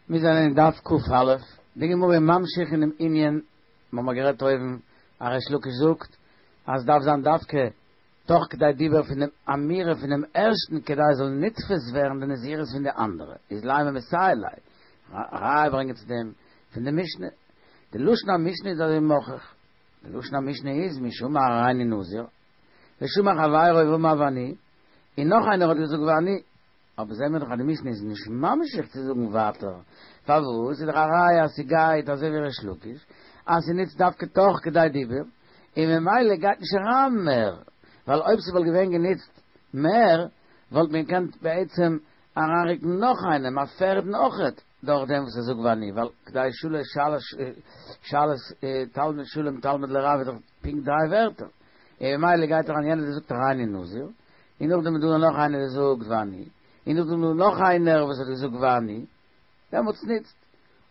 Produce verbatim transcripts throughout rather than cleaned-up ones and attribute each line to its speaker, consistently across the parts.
Speaker 1: מיר זענען אין דף קא, די גמרא איז ממשיך אינעם ענין, מיר האבן גערעדט אויבן, אז ריש לקיש זאגט אז עס דארף זיין דווקא תוך כדי דיבור פון דעם אמירה פונעם ערשטן כדי עס זאל נתפס ווערן די נזירות פון די אנדערע, איז לימא מסייע ליה, א ראיה ברענגען צו דעם פון די משנה, די לשון המשנה איז אזוי מוכיח, די לשון המשנה איז מי שאמר הריני נזיר, ושמע חברו ואמר ואני, און נאך איינער האט געזאגט ואני, אבער זעהן מיר דאך אז די משנה איז נישט ממשיך צו זאגן ווייטער, פארוואס איז דאך א ראיה אז ס'גייט אזוי ווי ריש לקיש, אז ס'נוצט דווקא תוך כדי דיבור, און ממילא גייט נישט אריין מער, ווייל אויב ס'וואלט געווען גענוצט מער, וואלט מען געקענט בעצם אריינרוקן נאך איינעם, א פערדן אויכעט, דורך דעם וואס ער זאגט ואני, ווייל כדי שלש שאלת תלמיד שלום תלמיד לרב איז דאך פונקט דריי ווערטער, און ממילא גייט אריין יענער וואס זאגט הריני נזיר, און נאכדעם איז דא נאך איינער וואס זאגט ואני, און נאכדעם איז דא נאך איינער וואס האט געזאגט ואני, דעמאלטס נוצט.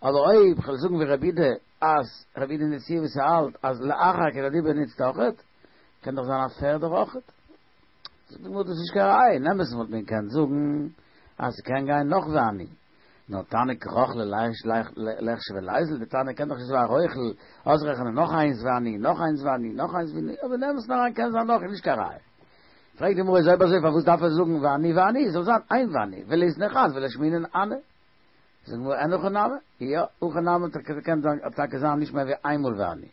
Speaker 1: אבער אויב כ'וועל זאגן ווי רבי יהודה אז רבי יהודה נשיאה וואס האלט אז לאחר כדי דיבור נוצט אויכעט, קען דאך זיין א פערדער אויכעט. זאגט די גמרא דאס איז נישט קיין ראיה, אין אמת'ן וואלט מען געקענט זאגן אז ס'קען גיין נאך ואני, נאר תנא כי רוכלא ליחשוב וליזיל, די תנא קען דאך נישט אזוי א רוכל אויסרעכענען נאך איינס ואני, נאך איינס ואני, נאך איינס ואני, אבער אין אמת'ן אריין קען זיין נאך איז נישט קיין ראיה. פרעגט די גמרא איז אויב אזוי פארוואס דארף ער זאגן ואני ואני, זאל זיין איין ואני, וליתני חד ולשמעינן אנא. זאגט די גמרא אין הכי נמי, יא, הכי נמי האט געקענט זיין טאקע זיין נישט מער ווי איינמאל ואני.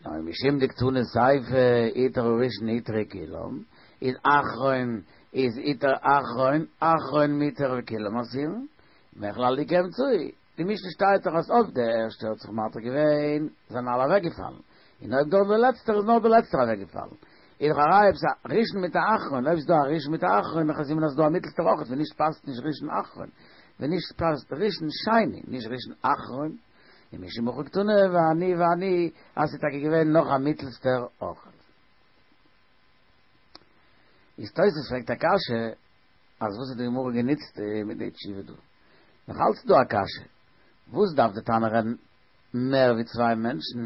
Speaker 1: נאר משום דקתני סיפא הותר הראשון הותרו כולם, איז אחרון איז הותר אחרון, אחרון מותר וכולם אסורין, מכלל איכא אמצעי, די משנה שטייט דאך אז אויב דער ערשטער האט זיך מתיר געווען זענען אלע אוועקגעפאלן, און אויב דאך דער לעצטער איז נאר דער לעצטער אוועקגעפאלן, איז דאך א ראיה עפעס א ראשון מיט א אחרון, אויב איז דא א ראשון מיט א אחרון איז א סימן אז ס'איז דא א מיטלסטער אויכעט, ווען נישט פאסט נישט ראשון אחרון, ווען נישט פאסט ראשון שני, נישט ראשון אחרון, און משום הכי קתני ואני ואני אז ס'איז טאקע געווען נאך א מיטלסטער אויכעט. איז תוס' פרעגט א קשיא אז וואס האט די גמרא גענוצט מיט די תשובה דא? נאך אלץ איז דא א קשיא, וואס דארף די תנא רעדן מער ווי צוויי מענטשן?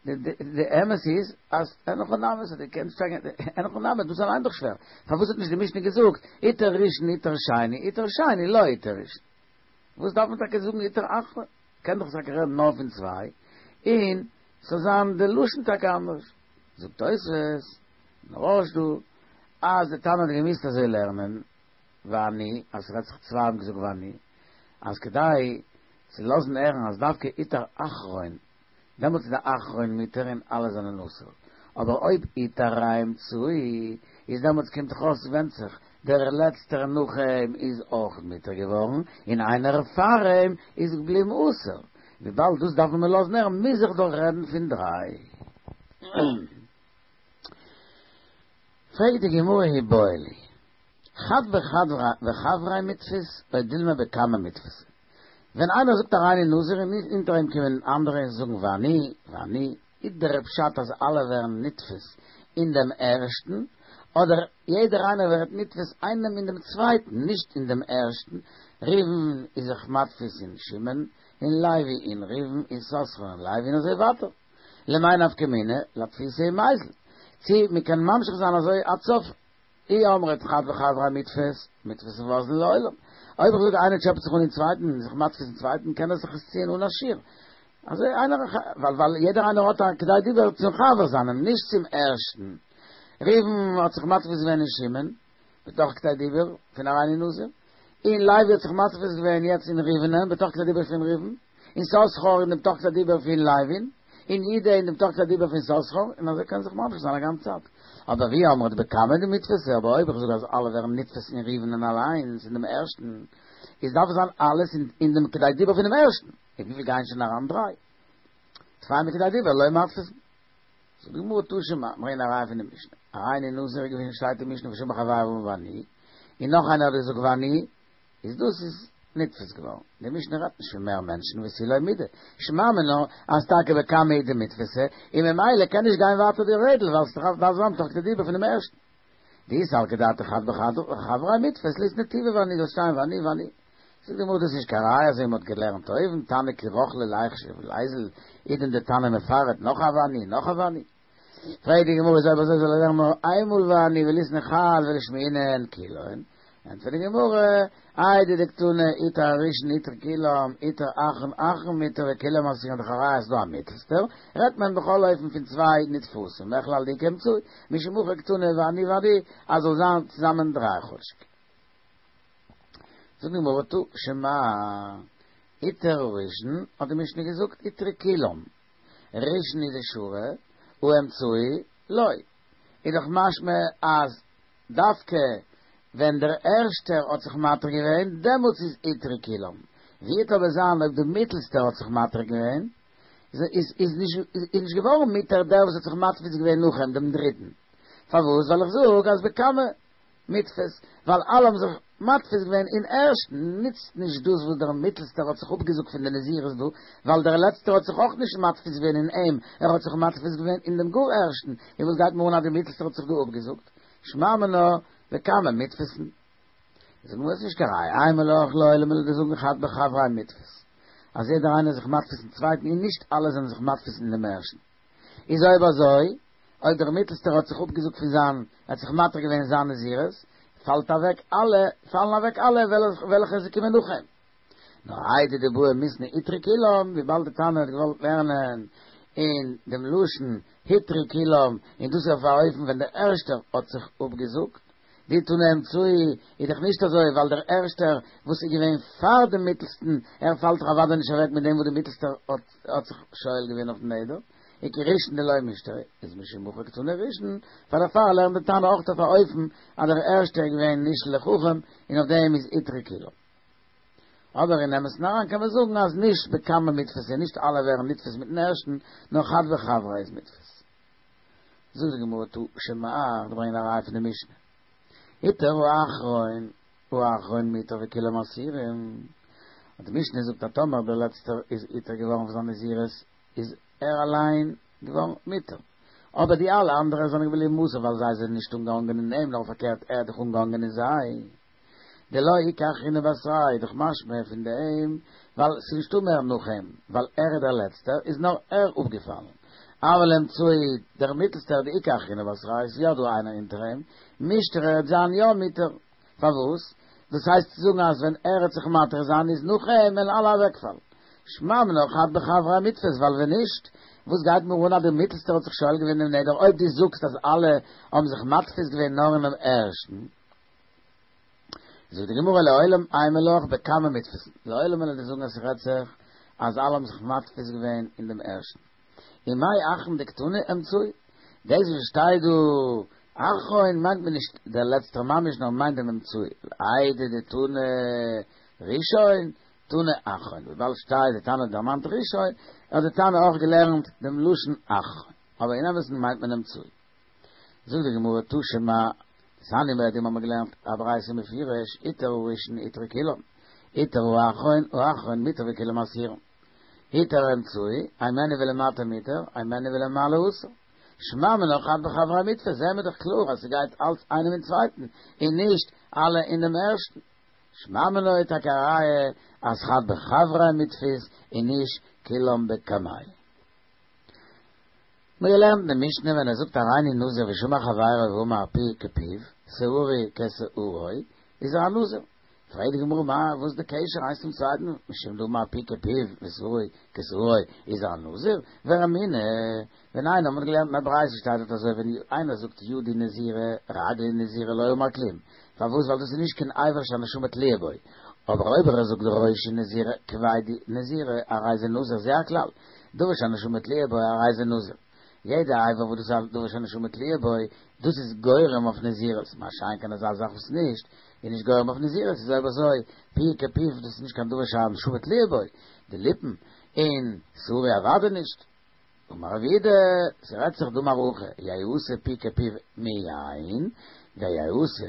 Speaker 1: די אמת איז אז אין הכי נמי ס'האט געקענט שטיין אין הכי נמי דאס אליין דאך שווער, פארוואס האט נישט די משנה געזאגט הותר ראשון הותר שני הותר שני לא הותר ראשון? וואס דארף מען טאקע זאגן הותר אחרון? קען דאך טאקע רעדן נאר פון צוויי און ס'זאל זיין די לשון טאקע אנדערש. זאגט תוספות אין רא"ש דא אז די תנא האט געמוזט אזוי לערנען ואני אז ס'רעדט זיך צוויי האבן געזאגט ואני אז כדי צו לאזן הערן אז דווקא הותר אחרון דעמאלטס איז דער אחרון מותר און אלע זענען אסור, אבער אויב הותר האמצעי איז דעמאלטס קומט דאך אויס ווענדט זיך, דער לעצטער נאך אים איז אויך מותר געווארן און איינער פאר אים איז געבליבן אסור, וויבאלד דאס דארף מען לאזן הערן מוז איך דאך רעדן פון דריי. פרעגט די גמרא איבעיא להו חד בחבריה מיתפיס או דילמא בקמא מיתפסי, ווען איינער זאגט הריני נזיר און אונטער אים קומען אנדערע און זאגן ואני ואני, איז דער פשט אז אלע ווערן נתפס אין דעם ערשטן, אדער יעדער איינער ווערט נתפס איינעם אין דעם צווייטן, נישט אין דעם ערשטן, ראובן איז זיך מתפיס אין שמעון, און לוי אין ראובן, און יששכר אין לוי און אזוי ווייטער. למאי נפקא מינה, לאתפוסי ומיזל. צי מ'קען ממשיך זיין אזוי עד סוף אי אמרת חד בחבריה מיתפיס, מיתפיס ואזיל לעולם. אויב איך זאג איינער טשעפעט זיך אן אין צווייטן און זיך מתפיס אין צווייטן קען ער זיך עס ציען אן א שיעור. אזוי איינער ווייל ווייל יעדער איינער האט א כדי דיבור צום חבר זיינעם נישט צום ערשטן. ראובן האט זיך מתפיס געווען אין שמעון בתוך כדי דיבור פון הריני נזיר, און לוי האט זיך מתפיס געווען יעצט אין ראובנ'ען בתוך כדי דיבור פון ראובן. און יששכר אין דעם תוך כדי דיבור פון לוי'ן, און יהודה אין דעם תוך כדי דיבור פון יששכר, און אזוי קען זיך ממשיך זיין א גאנצע צייט. אבער ואי אמרת בקמא דמיתפסי, אבער אויב איך זאג אז אלע ווערן נתפס אין ראובנ'ען אליינס, אין דעם ערשטן, איז דארף עס זיין אלעס אין דעם כדי דיבור פונעם ערשטן, און וויפיל גייען שוין אריין דריי? צוויי מכדי דיבור לא מתפיסין. זאגט די גמרא תא שמע, ברענגען א ראיה פון די משנה, הריני נזיר איז געווען שטייט אין משנה ושמע חברו ואמר ואני, און נאך איינער האט געזאגט ואני, איז דאס איז נתפס געווארן. די משנה רעדט נישט פון מער מענטשן ותו לא מידי. שמע מינה אז טאקע בקמא הוא דמיתפסי, און ממילא קען נישט גיין ווייטער די רעדל ווייל ס'דארף זיין תוך כדי דיבור פונעם ערשטן. דאי סלקא דעתך חד בחבריה מיתפיס ליתני טובא ואני זאל שטיין ואני ואני. זאגט די גמרא דאס איז נישט קיין ראיה אזוי מ'האט געלערנט אויבן תנא כי רוכלא ליחשיב וליזיל איז דען די תנא מפרט נאך א ואני נאך א ואני. פרעגט די גמרא איז אויב אזוי זאל ער לערנען נאר איינמאל ואני וליתני חד ולשמעינן כולן, ענטפערט די גמרא, איידי דקתני הותר הראשון הותרו כולם, הותר אחרון אחרון מותר וכולם אסורין דאך א ראיה אז ס'דא א מיטלסטער, רעדט מען בכל אופן פון צוויי נתפסים, מכלל דאיכא אמצעי, משום הכי קתני ואני ואני, אז זאל זיין צוזאמען דריי כאטשיג. זאגט די גמרא תא שמע, הותר הראשון, האט די משנה געזאגט הותרו כולם, ראשון הוא דשרי, האמצעי לא, איז דאך משמע אז דווקא ווען דער ערשטער האט זיך מתיר געווען, דעמאלטס איז הותרו כולם. ווי וועט אבער זיין אויב דער מיטלסטער האט זיך מתיר געווען, איז איז נישט געווארן מותר דער וואס האט זיך מתפיס געווען נאך אים, דעם דריטן. פארוואס? ווייל איך זאג אז בקמא מיתפס, ווייל אלע האבן זיך מתפיס געווען אין ערשטן, נוצט נישט דאס וואס דער מיטלסטער האט זיך אפגעזאגט פון די נזירות דא, ווייל דער לעצטער האט זיך אויך נישט מתפיס געווען אין אים, ער האט זיך מתפיס געווען אין דעם גאר ערשטן, און וואס גייט מיר אן אז דער מיטלסטער האט זיך דא אפגעזאגט? שמע מינה בקמא מיתפסן. זאגט די גמרא ס'איז נישט קיין ראיה, אימא לך לעולם וועל איך דיר זאגן חד בחבריה מיתפס, אז יעדער איינער איז זיך מתפיס אין צווייטן און נישט אלע זענען זיך מתפיס אין דעם ערשטן. איז אויב אזוי, אויב דער מיטלסטער האט זיך אפגעזאגט פון זיין, ער האט זיך מתיר געווען אין זיין נזירות, פאלט אוועק אלע, פאלן אוועק אלע וועלכע זיי קומען נאך אים. נאר איידי דבעי מיתני הותרו כולם, וויבאלד די תנא האט געוואלט לערנען אין דעם לשון הותרו כולם, און דאס איז אויף א אופן ווען דער ערשטער האט זיך אפגעזאגט, דאי תנא אמצעי איז דאך נישט אזוי, ווייל דער ערשטער וואס איז געווען פאר דעם מיטלסטן, ער פאלט דאך אוודאי נישט אוועק מיט דעם וואס דער מיטלסטער האט זיך שואל געווען אויפן נדר, וכראשון דלא מישתרי, איז משום הכי קתני ראשון, פאר דערפאר לערנט די תנא אויך אויף א אופן אז דער ערשטער איז געווען נשאל לחכם און אויף דעם איז הותרו כולם. אבער אין אמת'ן אריין קען מען זאגן אז נישט בקמא מיתפס און נישט אלע ווערן נתפס מיטן ערשטן, נאר חד בחבריה איז מיתפס. זאגט די גמרא תא שמע, איך ברענג א ראיה פון די משנה, הותר האחרון, האחרון מותר וכולם אסורים, אז די משנה זאגט אז טאמער דער לעצטער איז הותר געווארן פון זיין נזירות איז ער אליין געווארן מותר, אבער די אלע אנדערע זענען געבליבן אסור ווייל זיי זענען נישט אנגעהאנגען אין אים נאר פארקערט ער האט דאך אנגעהאנגען אין זיי. דלא איכא אחרינא בתריה איז דאך משמע פון דעם ווייל ס'איז נישטא מער נאך אים, ווייל ער איז דער לעצטער איז נאר ער אפגעפאלן. אבל אמצעי דער מיטלסטער דאיכא אחרינא בתריה איז יא דא איינער אונטער אים, מישתרי וועט זיין יא מותר. פארוואס? דאס הייסט צו זאגן אז ווען ער וועט זיך מתיר זיין איז נאך אים וועלן אלע אוועקפאלן. שמע מינה חד בחבריה מיתפס ווייל ווען נישט וואס גייט מיר אן אז דער מיטלסטער האט זיך שואל געווען דעם נדר אויב דו זאגסט אז אלע האבן זיך מתפיס געווען נאר אינעם ערשטן. זאגט די גמרא לעולם אימא לך בקמא מיתפסן, לעולם וועל איך דיר זאגן אז ס'רעדט זיך אז אלע האבן זיך מתפיס געווען אין דעם ערשטן. ומאי אחרון דקתני אמצעי, דאס וואס שטייט דא אחרון מיינט מען נישט דער לעצטער ממש נאר מיינט דעם אמצעי, איידי דתנא ראשון תנא אחרון, וויבאלד שטייט די תנא דערמאנט ראשון האט די תנא אויך געלערנט דעם לשון אחרון, אבער אין אמת'ן מיינט מען אמצעי. זאגט די גמרא תא שמע, דתניא מיט דעם האבן מיר געלערנט א ברייתא מפורש, הותר הראשון הותרו כולם, הותר האחרון האחרון מותר וכולם אסורים, הותר האמצעי, הימנו ולמטה מותר, הימנו ולמעלה אסור. שמע מינה חד בחבריה מיתפס, זעהן מיר דאך קלאר אז ס'גייט אלץ איינעם אין צווייטן, און נישט אלע אין דעם ערשטן. שמע מינה איז טאקע א ראיה אז חד בחבריה מיתפס און נישט כולם בקמיה. מיר געלערנט אין די משנה ווען ער זאגט הריני נזיר ושמע חברו ואמר פי כפיו, שערי כשערו, איז ער א נזיר. פרעגט די גמרא מה וואס איז די קשר איינס צום צווייטן, משום דאמר פי כפיו ושערו כשערו איז ער א נזיר, ורמינהי, ווען איינער מ'האט געלערנט אין א ברייתא שטייט דארט אזוי ווען איינער זאגט ידי נזירה רגלי נזירה לא אמר כלום, פארוואס ווייל דאס איז נישט קיין אבר שהנשמה תלויה בו, אבער אויב ער זאגט ראשי נזירה כבדי נזירה הרי זה נזיר זה הכלל, דבר שהנשמה תלויה בו הרי זה נזיר. יעדע אבר וואס דאס איז א דבר שהנשמה תלויה בו, דאס איז גורם אויף נזירות, מה שאין כן אזא זאך וואס נישט, איז נישט גורם אויף נזירות, איז אויב אזוי, פי כפיו דאס איז נישט קיין דבר שהנשמה תלויה בו, די ליפן, און שערו אוודאי נישט. אמר רב יהודה, ס'רעדט זיך דאמר הכי, יעשה פי כפיו מיין, ויעשה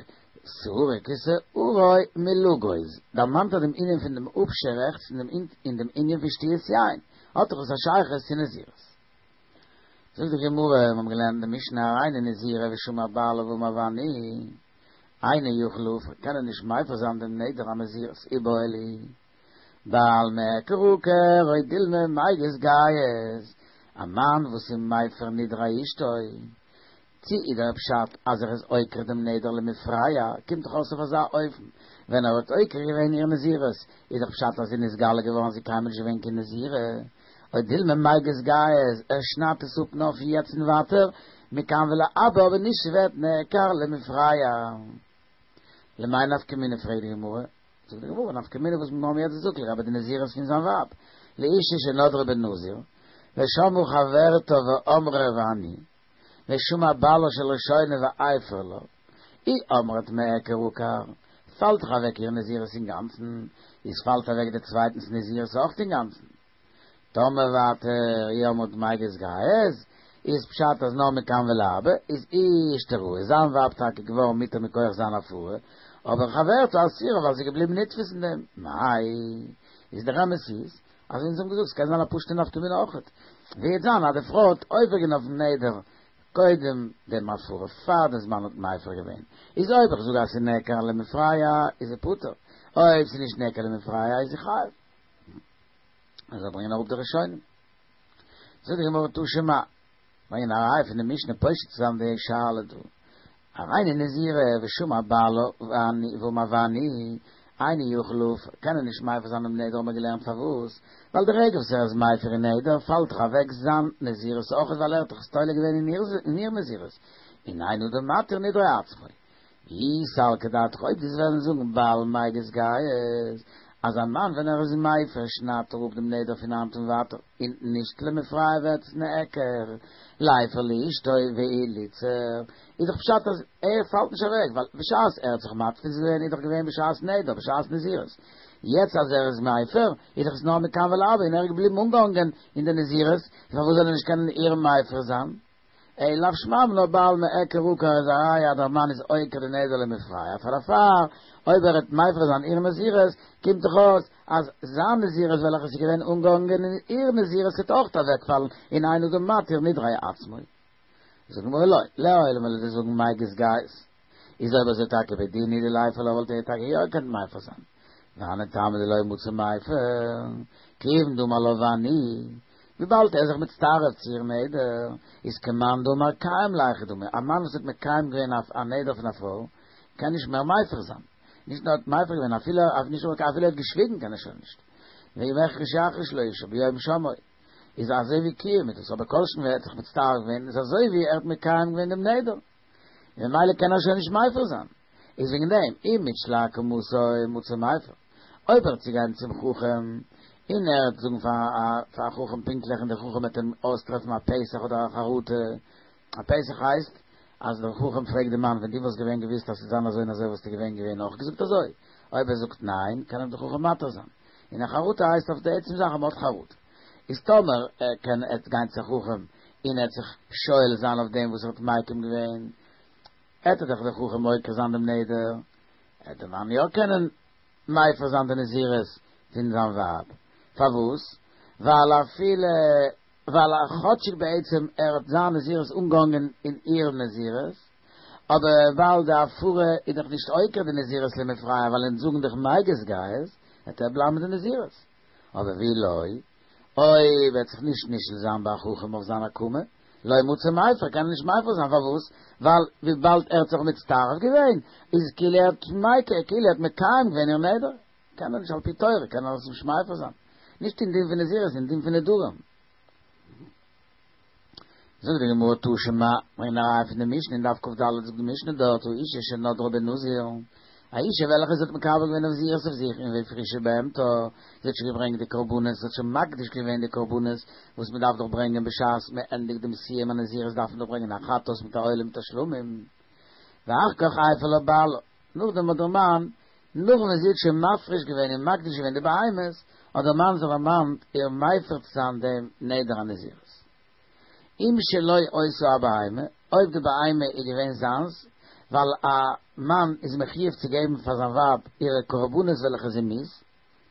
Speaker 1: שערו כשערו מלגוז, דערמאנט ער דעם ענין פון דעם אפשערעכץ און דעם ענין פון שתיית יין, האט דאך עס א שייכות צו נזירות. זאגט די גמרא, מיר האבן געלערנט אין די משנה הריני נזירה ושמע בעלה ואמר ואני אינו יכול להפר, קען ער נישט מפר זיין דעם נדר הנזירות, איבעיא להו, בעל מיעקר עקר או דילמא מיגז גייז, א מאן וואס איז מפר נדרי אשתו, צי איז דער פשט אז ער איז עוקר דעם נדר למפרע, קומט דאך אויס אויף אזא אופן, ווען ער האט עוקר געווען איר נזירות, איז דאך פשט אז זי איז נתגלה געווארן אז זי איז קיינמאל נישט געווען קיין נזירה. או דילמא מיגז גייז, ער שניידט עס אפ נאר פון יעצט און ווייטער, מכאן ולהבא אבער נישט ס'ווערט נעקר למפרע. למאי נפקא מינה פרעגט די גמרא, זאגט די גמרא נפקא מינה וואס מיר האבן יעצט געזאגט לגבי די נזירות פון זיין ווייב, לאשה שנדרה בנזיר, ושמעה חברתה ואמרה ואני, ושמע בעלה של ראשונה והפר לה, אי אמרת מיעקר עקר, פאלט דאך אוועק איר נזירות אינגאנצן, איז פאלט אוועק די צווייטנס נזירות אויך אינגאנצן. טאמער ווייטער אי אמרת מיגז גייז, איז פשט אז נאר מכאן ולהבא, איז אישתראי, איז זיין ווייב טאקע געווארן מותר מכח זיין הפרה, אבער חברתה אסירה ווייל זי איז געבליבן נתפס אין דעם. מאי, איז דער אמת איז, אז אונז האבן געזאגט ס'קען זיין א פשוט'ע נפקא מינה אויכעט. וועט זיין אז די פרוי האט עובר געווען אויפן נדר קודם דעם הפרה פאר דעם זמן האט מפר געווען, איז אויב איך זאג אז ס'איז נעקר למפרע איז זי פטור, אויב ס'איז נישט נעקר למפרע איז זי חייב. אזוי ברענגען אראפ די ראשונים. זאגט די גמרא תא שמע, ברענגען א ראיה פון די משנה פושט צו זיין די שאלה דא. הריני נזירה ושמע בעלה ואמר ואני, אינו יכול להפר, קען ער נישט מפר זיין דעם נדר האבן מיר געלערנט פארוואס, ווייל די רגע וואס ער איז מפר איר נדר פאלט דאך אוועק זיין נזירות אויכעט ווייל ער האט דאך עס תולה געווען אין איר נזירות, און אין אדם מתיר נדרי עצמו. ואי סלקא דעתך אויב דו וועסט וועלן זאגן בעל מיגז גייז אז א מאן ווען ער איז מפר שניידט ער אפ דעם נדר פון היינט און ווייטער און נישט למפרע ווערט עס נעקר ליפר לאשתו וליתסר איז דאך פשט אז ער פאלט נישט אוועק ווייל בשעת ער האט זיך מתפיס געווען איז דאך געווען בשעת נדר בשעת נזירות יעצט אז ער איז מפר איז דאך עס נאר מכאן ולהבא און ער איז געבליבן אנגעהאנגען אין די נזירות פארוואס זאל ער נישט קענען איר מפר זיין? אלא לאו שמע מינה בעל מיעקר עקר איז א ראיה אז דער מאן איז עוקר די נדר למפרע פאר דערפאר אויב ער וועט מפר זיין איר נזירות קומט דאך אויס אז זיין נזירות וועלכע איז געווען אנגעהאנגען אין איר נזירות וועט אויך אוועקפאלן און אין אדם מתיר נדרי עצמו. זאגט די גמרא לא, לעולם וועל איך דיר זאגן מיגז גייז איז אויב אזוי טאקע בדין הוא דליפר לה וואלט ער טאקע יא געקענט מפר זיין והני טעמא דלא מצי מיפר כיוון דאמר לה ואני וויבאלד ער איז זיך מצטרף צו איר נדר, איז כמאן דאמר קיים ליכי דמי, א מאן וואס האט מקיים געווען א נדר פון א פרוי, קען נישט מער מפר זיין. נישט נאר האט מפר געווען, אפילו נישט נאר אפילו ער האט געשוויגן קען ער שוין נישט. ואם החריש יחריש לאשה ביום שמעו, איז אזוי ווי קיום איז דאס, אבער כל שכן ווען ער האט זיך מצטרף געווען, איז אזוי ווי ער האט מקיים געווען דעם נדר. און ממילא קען ער שוין נישט מפר זיין. איז וועגן דעם, אי מתשיל להקמתו מצי מיפר. אויב ער וועט צוגיין צום חכם, און ער וועט זאגן פאר א חכם פונקטליך און דער חכם וועט אים אויסטרעפן א פתח אדער א חרטה, א פתח הייסט אז דער חכם פרעגט די מאן ווען דו וואלסט געווען געוואוסט אז ס'וועט זיין אזוי און אזוי וואלסטו געווען געווען אויך געזאגט אזוי? אויב ער זאגט ניין קען אים דער חכם מתיר זיין, און א חרטה הייסט אויף די עצם זאך אז מ'האט חרטה. איז טאמער ער קען ער וועט גיין צו א חכם און ער וועט זיך שואל זיין אויף דעם וואס ער האט מקים געווען, עט דאך דער חכם עוקר זיין דעם נדר, עט דער מאן יא קענען מפר זיין די נזירות פון זיין ווייב, פארוואס? ווייל אפילו ווייל כאטשיג בעצם ער האט זיין נזירות אנגעהאנגען אין איר נזירות, אבער ווייל די הפרה איז דאך נישט עוקר די נזירות למפרע ווייל אונז זאגן דאך מיגז גייז, וועט ער בלייבן מיט די נזירות. אבער ואי לא, אויב ער וועט זיך נישט נשאל זיין ביי א חכם אויף זיין הקמה, לא מצי מיפר, קען ער נישט מפר זיין, פארוואס? ווייל וויבאלד ער האט זיך מצטרף געווען, איז עס כאילו ער האט מייקר, כאילו ער האט מקיים געווען איר נדר, קען ער נישט על פי תורה קען ער עס נישט מפר זיין, נישט אין דין פון נזירות, אין דין פון נדרים. זאגט די גמרא תא שמע, ברענגט א ראיה פון די משנה אין דף כ"ד זאגט די משנה דארט האשה שנדרה בנזיר, א אישה וועלכע זי האט מקבל געווען נזירות אויף זיך און והפרישה בהמתה, זי האט שוין געברענגט די קרבנות, זי האט שוין מקדיש געווען די קרבנות וואס מען דארף דאך ברענגען בשעת מען ענדיגט דעם סיום הנזירות דארף מען דאך ברענגען א חטאת מיט א עולה מיט א שלמים, ואחר כך הפר לה בעלה, נאכדעם האט דער מאן, נאך ווען זי האט שוין מפריש געווען און מקדיש געווען די בהמות, האט דער מאן זיך דערמאנט איר מפר צו זיין דעם נדר הנזירות. אם שלו היתה הבהמה, אויב די בהמה איז געווען זיינס, ווייל א מאן איז מחיוב צו געבן פאר זיין ווייב אירע קרבנות וועלכע זי מוז,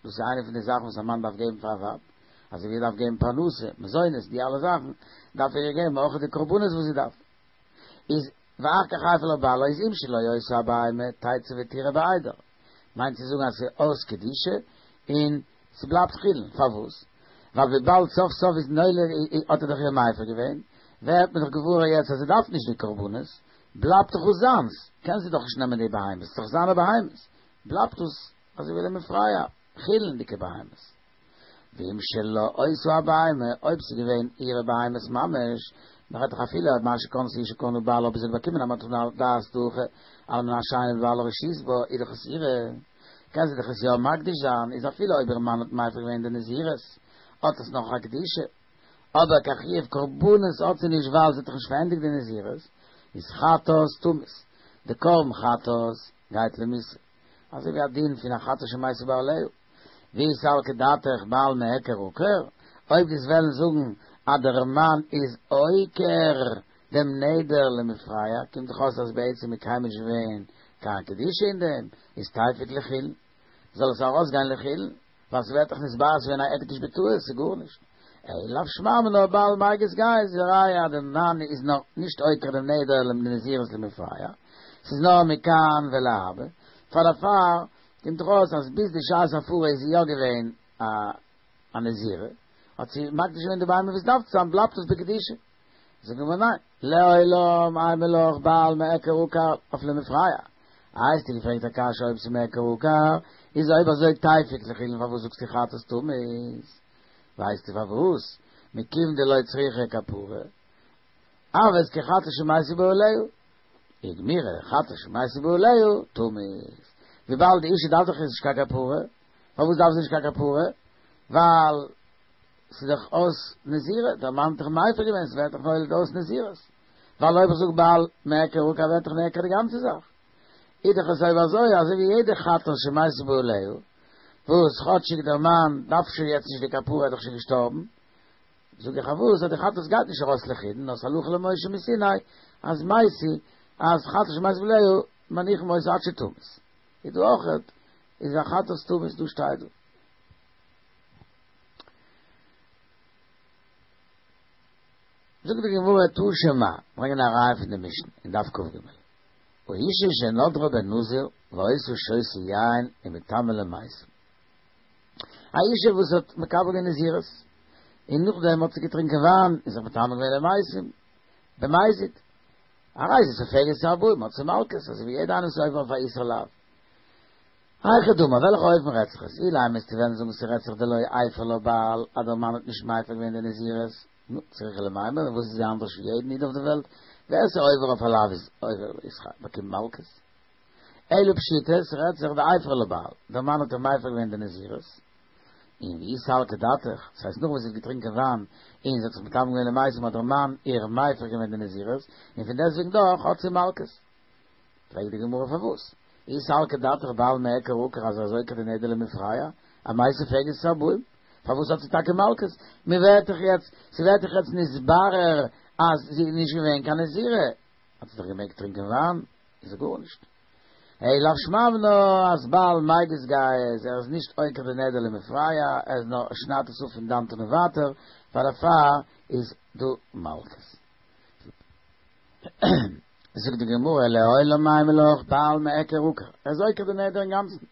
Speaker 1: דאס איז איינע פון די זאכן וואס א מאן דארף געבן פאר א ווייב, אזוי ווי ער דארף געבן פרנסה, מזונות, די אלע זאכן, דארף ער איר געבן אויך די קרבנות וואס זי דארף. איז ואחר כך הפר לה בעלה איז אם שלו היתה הבהמה תצא ותרעה בעדר, מיינט צו זאגן אז ס'איז אויס קדושה און ס'בלייבט חולין, פארוואס? ווייל וויבאלד סוף סוף איז נולד האט ער דאך איר מפר געווען, ווערט מען דאך געוואר יעצט אז זי דארף נישט די קרבנות, בלייבט דאך אויס זיינס, קען זי דאך נישט נעמען די בהמות, ס'איז דאך זיינע בהמות, בלייבט דאס אזוי ווי למפרע, חולין'דיגע בהמות. ואם שלה היתה הבהמה, אויב ס'איז געווען אירע בהמות ממש, מ'רעדט דאך אפילו מה שקנתה אשה קנה בעלה, אויב זי האט באקומען א מתנה על דעת דהכי, על מנת שאין לבעלה רשות בה, איז דאך עס אירע, קען זי דאך עס יא מקדיש זיין, איז אפילו אויב איר מאן האט מפר געווען די נזירות, האט עס נאך א קדושה. אבער קיין חיוב קרבנות האט זי נישט ווייל זי האט דאך נישט פארענדיגט די נזירות, איז חטאת תמות, די קרבן חטאת גייט למיתה, אזוי ווי א דין פון א חטאת שמתו בעליה. ואי סלקא דעתך בעל מיעקר עקר, אויב דו'סט וועלן זאגן אז דער מאן איז עוקר דעם נדר למפרע, קומט דאך אויס אז בעצם איז קיינמאל נישט געווען קיין קדושה אין דעם, איז תיפוק לחולין, זאל עס ארויסגיין לחולין, ווייל ס'ווערט דאך נתברר ס'איז געווען א הקדש בטעות, ס'איז גארנישט. אלא לאו שמע מינה בעל מיגז גייז, ראיה אז דער מאן איז נאך נישט עוקר דעם נדר לנזירות למפרע, ס'איז נאר מכאן ולהבא, פאר דערפאר קומט דאך אויס אז ביז די שעת הפרה איז זי יא געווען א א נזירה, האט זי מקדיש געווען די בהמה ווי עס דארף צו זיין, בלייבט עס בקדושה. זאגט די גמרא ניין, לעולם אימא לך בעל מיעקר עקר אויף למפרע. איי האסטו געפרעגט א קשיא אויב ס'איז מיעקר עקר, איז אויב אזוי תיפוק לחולין פארוואס זאגסטו חטאת תמות? ווייסטו פארוואס? מכיוון דלא צריכה כפרה, הוות כחטאת שמתו בעליה, וגמירי חטאת שמתו בעליה, תמות. וויבאלד די אישה דארף דאך נישט קיין כפרה, פארוואס דארף זי נישט קיין כפרה? ווייל ס'איז דאך אויס נזירה, דער מאן האט דאך מפר געווען, ס'ווערט דאך נולד אויס נזירות. ווייל אויב איך זאג בעל מיעקר עקר ווערט דאך נעקר די גאנצע זאך. איז דאך עס אויב אזוי אזוי ווי יעדע חטאת שמתו בעליה, וואס כאטשיג דער מאן דארף שוין יעצט נישט די כפרה ער איז דאך שוין געשטארבן, זאג איך פארוואס אז די חטאת גייט נישט ארויס לחולין נאר ס'הלכה למשה מסיני אז מתי אז חטאת שמתו בעליה מניחין אותה עד שתמות איז דא אויכעט איז א חטאת תמות דא שטייט דא. זאגט די גמרא תא שמע, ברענגען א ראיה פון די משנה אין דף כ"ג, האשה שנדרה בנזיר והיתה שותה יין ומטמאה למתים, א אישה וואס האט מקבל געווען נזירות, און נאכדעם האט זי געטרינקען וויין און זיך מטמא געווען למתים, במזיד, הרי זו סופגת ארבעים, האט זי מלקות, אזוי ווי יעדע איינער וואס איז עובר אויף א איסור לאו. היכי דמי, וועלכע אופן רעדט זיך עס? אילימא וועסטו וועלן זאגן ס'רעדט זיך דלא הפר לה בעל, אז דער מאן האט נישט מפר געווען די נזירות, נו, צריכא למימר, וואס איז זי אנדערש פון יעדן איד אויף די וועלט? ווער ס'איז עובר אויף א לאו איז עובר איז באקומט מלקות. אלא פשיטא, ס'רעדט זיך דהפר לה בעל, דער מאן האט איר מפר געווען די נזירות, און ואי סלקא דעתך, ס'הייסט נאך וואס זי האט געטרינקען וויין, און זי האט זיך מטמא געווען למתים האט דער מאן איר מפר געווען די נזירות, און פון דעסטוועגן דאך האט זי מלקות. פרעגט די גמרא פארוואס? אי סלקא דעתך בעל מיעקר עקר אז ער איז עוקר די נדר למפרע, אמאי סופגת את הארבעים? פארוואס האט זי טאקע מלקות? מ'ווערט דאך יעצט, ס'ווערט דאך יעצט נתברר אז זי איז נישט געווען קיין נזירה, האט זי דאך געמעגט טרינקען וויין, איז זי גארנישט. אלא לאו שמע מינה אז בעל מיגז גייז, ער איז נישט עוקר די נדר למפרע, ער איז נאר שניידט עס אפ פון דאנעט און ווייטער, פאר דערפאר איז דא מלקות. זאגט די גמרא לעולם אימא לך בעל מיעקר עקר, ער איז עוקר די נדר אינגאנצן.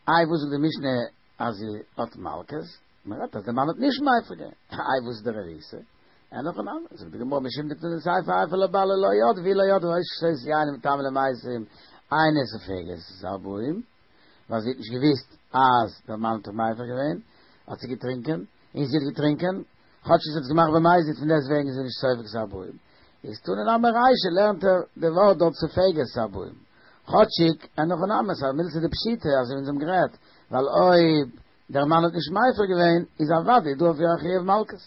Speaker 1: איי וואס זאגט די משנה אז זי האט מלקות? מען רעדט אז די מאן האט נישט מפר געווען, איי וואס איז די ריעותא? אין הכי נמי, זאגט די גמרא משום דקתני סיפא הפר לה בעל לא ידעה ואי לא ידעה והיתה שותה יין ומטמאה למתים אינה סופגת את הארבעים, ווייל זי האט נישט געוויסט אז דער מאן האט איר מפר געווען, האט זי געטרינקען, און זי האט געטרינקען, כאטש זי האט עס געמאכט במזיד פון דעסט וועגן איז זי נישט סופגת ארבעים. איז תנא נמי רישא לערנט ער די ווארט דארט סופגת ארבעים. כאטשיג אין הכי נמי ס'איז א מילתא דפשיטא אזוי ווי אונז האבן גערעדט, ווייל אויב דער מאן האט נישט מפר געווען איז אוודאי דא אויף איר א חיוב מלקות.